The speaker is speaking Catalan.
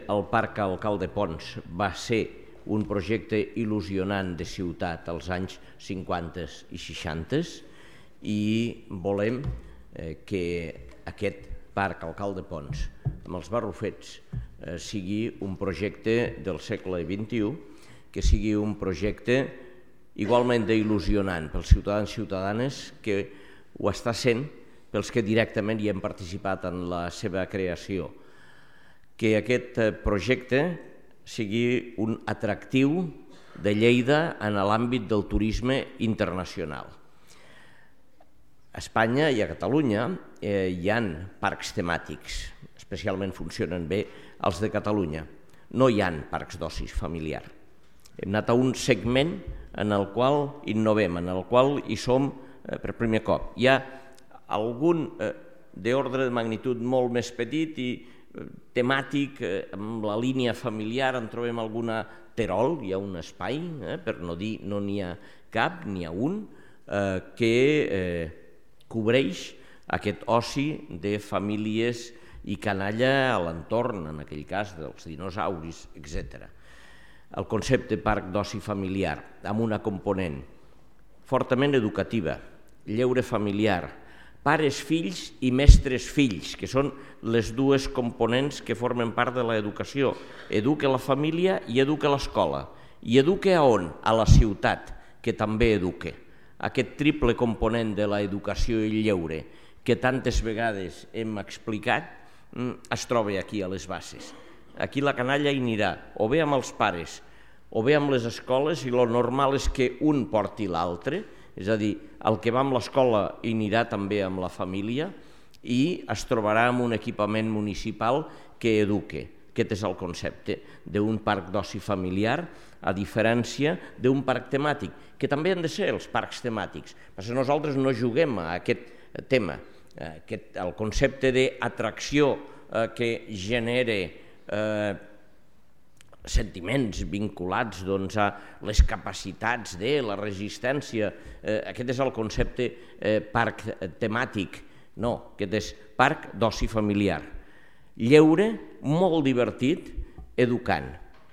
el Parc Alcalde Pons va ser un projecte il·lusionant de ciutat als anys 50 i 60 i volem que aquest Parc Alcalde Pons amb els Barrufets sigui un projecte del segle XXI, que sigui un projecte igualment il·lusionant pels ciutadans i ciutadanes que ho està sent pels que directament hi hem participat en la seva creació. Que aquest projecte sigui un atractiu de Lleida en l'àmbit del turisme internacional. A Espanya i a Catalunya hi ha parcs temàtics, especialment funcionen bé els de Catalunya. No hi ha parcs d'oci familiar. Hem anat a un segment en el qual innovem, en el qual hi som per primer cop. Hi ha algun d'ordre de magnitud molt més petit i temàtic, amb la línia familiar en trobem alguna Terol, hi ha un espai, per no dir no n'hi ha cap, n'hi ha un, que cobreix aquest oci de famílies i canalla a l'entorn, en aquell cas dels dinosauris, etc. El concepte parc d'oci familiar, amb una component fortament educativa, lleure familiar, pares-fills i mestres-fills, que són les dues components que formen part de l'educació. Educa la família i educa l'escola. I educa a on? A la ciutat, que també educa. Aquest triple component de l'educació i el lleure, que tantes vegades hem explicat, es troba aquí a les bases. Aquí la canalla hi anirà, o bé amb els pares, o bé amb les escoles, i el normal és que un porti l'altre, és a dir, el que va amb l'escola hi anirà també amb la família i es trobarà amb un equipament municipal que eduque. Aquest és el concepte d'un parc d'oci familiar, a diferència d'un parc temàtic, que també han de ser els parcs temàtics. Perquè nosaltres no juguem a aquest tema. El concepte d'atracció que genera sentiments vinculats a les capacitats de la resistència. Aquest és el concepte parc temàtic. No, aquest és parc d'oci familiar. Lleure, molt divertit, educant.